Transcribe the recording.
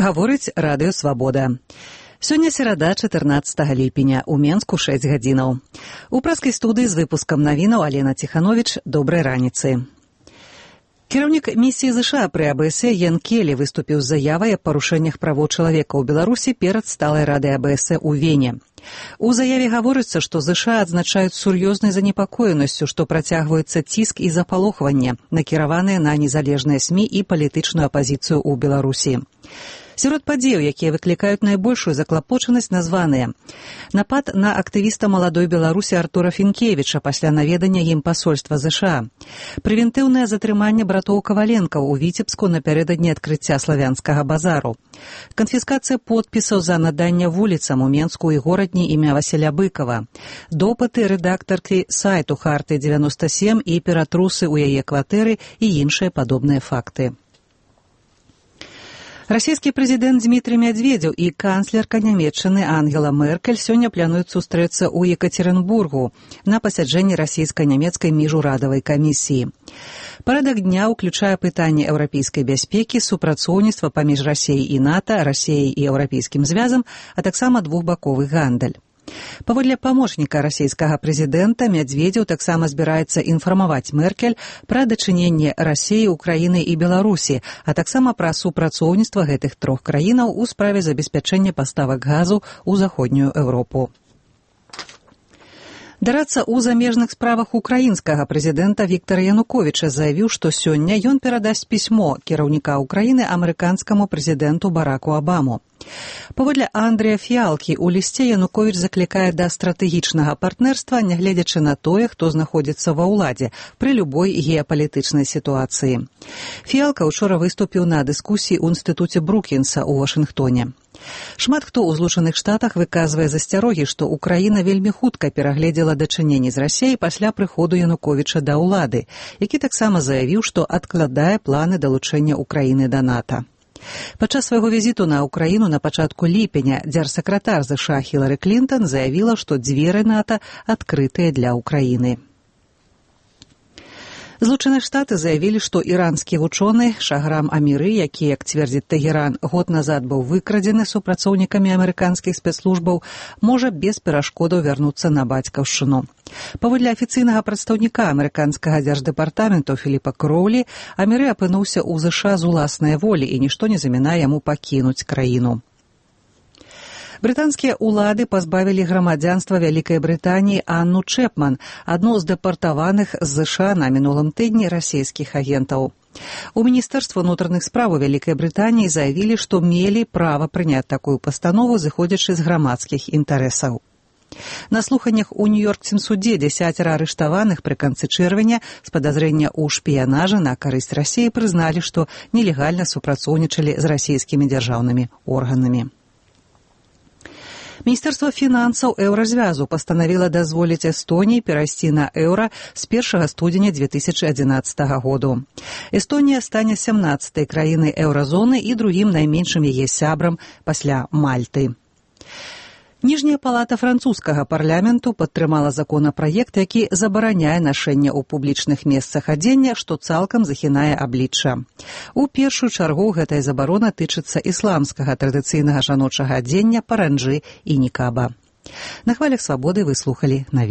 Гаворыць радыё «Свабода». Сёння серада, 14 ліпеня, у Менску 6 гадзінаў. У праскай студыі з выпускам навінаў Алена Ціхановіч. Добрай раніцы. Кіраўнік місіі ЗША пры АБСЕ Ян Келі выступіў з заявай аб парушэннях правоў чалавека ў Беларусі перад сталай радай АБСЕ ў Вене. У заяве гаворыцца, што ЗША адзначаюць сур'ёзнай занепакоенасцю, што працягваецца ціск і запалохванне, накіраваныя на незалежныя СМІ і палітычную апазіцыю ў Беларусі. Сярод падзеяў, якія выклікаюць найбольшую заклапочанасць, названыя: напад на актывіста маладой Беларусі Артура Фінкевіча пасля наведання ім пасольства ЗША, прэвентыўнае затрыманне братоў Каваленкаў у Віцебску напярэдадні адкрыцця славянскага базару, канфіскацыя подпісаў за наданне вуліцам у Менску і горадні імя Васіля Быкова, допыты рэдактаркі сайту Харты-97 і ператрусы ў яе кватэры і іншыя падобныя факты. Расійскі прэзідэнт Дмітрый Медведзеў і канцлерка Нямецчыны Ангела Меркель сёння плануюць сустрэцца ў Екатеринбургу на пасяджэнні расійска-нямецкай міжурадавай камісіі. Парадак дня ўключае пытанні еўрапейскай бяспекі, супрацоўніцтва паміж Расіяй і НАТО, Расіяй і Еўрапейскім звязам, а таксама двухбаковы гандаль. Паводле памочніка расійскага прэзідэнта, Медведзеў таксама збіраецца інфармаваць Меркель пра дачыненне Расіі, Украіны і Беларусі, а таксама пра супрацоўніцтва гэтых трох краінаў у справе забеспячэння паставак газу ў заходнюю Еўропу. Дарацца ў замежных справах украінскага прэзідэнта Віктара Януковіча заявіў, што сёння ён перадасць пісьмо кіраўніка Украіны амерыканскаму прэзідэнту Бараку Абаму. Паводле Андрэя Фіалкі, у лісце Януковіч заклікае да стратэгічнага партнерства, нягледзячы на тое, хто знаходзіцца ва ўладзе, пры любой геапалітычнай сітуацыі. Фіалка учора выступіў на дыскусіі ў інстытуце Брукінса ў Вашынгтоне. Шмат хто ў Злучаных Штатах выказвае засцярогі, што Украіна вельмі хутка перагледзела дачыненні з Расіяй пасля прыходу Януковіча да ўлады, які таксама заявіў, што адкладае планы далучэння Украіны да НАТО. Падчас свайго візіту на Украіну на пачатку ліпеня дзяржсакратар ЗША Хілары Клінтон заявіла, што дзверы НАТО адкрытыя для Украіны. Злучаныя Штаты заявілі, што іранскі вучоны Шаграм Аміры, які, як цвердзіць Тэгеран, год назад быў выкрадзены супрацоўнікамі амерыканскіх спецслужбаў, можа без перашкодаў вярнуцца на бацькаўшчыну. Паводле афіцыйнага прадстаўніка амерыканскага дзярждэпартаменту Філіпа Кроулі, Аміры апынуўся ў ЗША з уласнай волі і нішто не замінае яму пакінуць краіну. Брытанскія ўлады пазбавілі грамадзянства Вялікай Брытаніі Анну Чэпман, адну з дэпартаваных з ЗША на мінулым тыдні расійскіх агентаў. У Міністэрства ўнутраных спраў Вялікай Брытаніі заявілі, што мелі права прыняць такую пастанову, зыходзячы з грамадскіх інтарэсаў. На слуханнях у Нью-Йоркскім судзе 10 арыштаваных пры канцы чэрвеня з падазрэння ў шпіянажы на карысць Расіі прызналі, што нелегальна супрацоўнічалі з расійскімі дзяржаўнымі органамі. Міністэрства фінансаў Еўразвязу пастанавіла дазволіць Эстоніі перайсці на еўра з 1 студзеня 2011 году. Эстонія стане 17-й краінай еўразоны і другім найменшым яе сябрам пасля Мальты. Ніжняя палата французскага парламенту падтрымала законапраект, які забараняе нашэнне ў публічных месцах адзення, што цалкам захінае аблічча. У першую чаргу гэтая забарона тычыцца ісламскага традыцыйнага жаночага адзення, паранджы і нікаба. На хвалях свабоды вы слухалі навіны.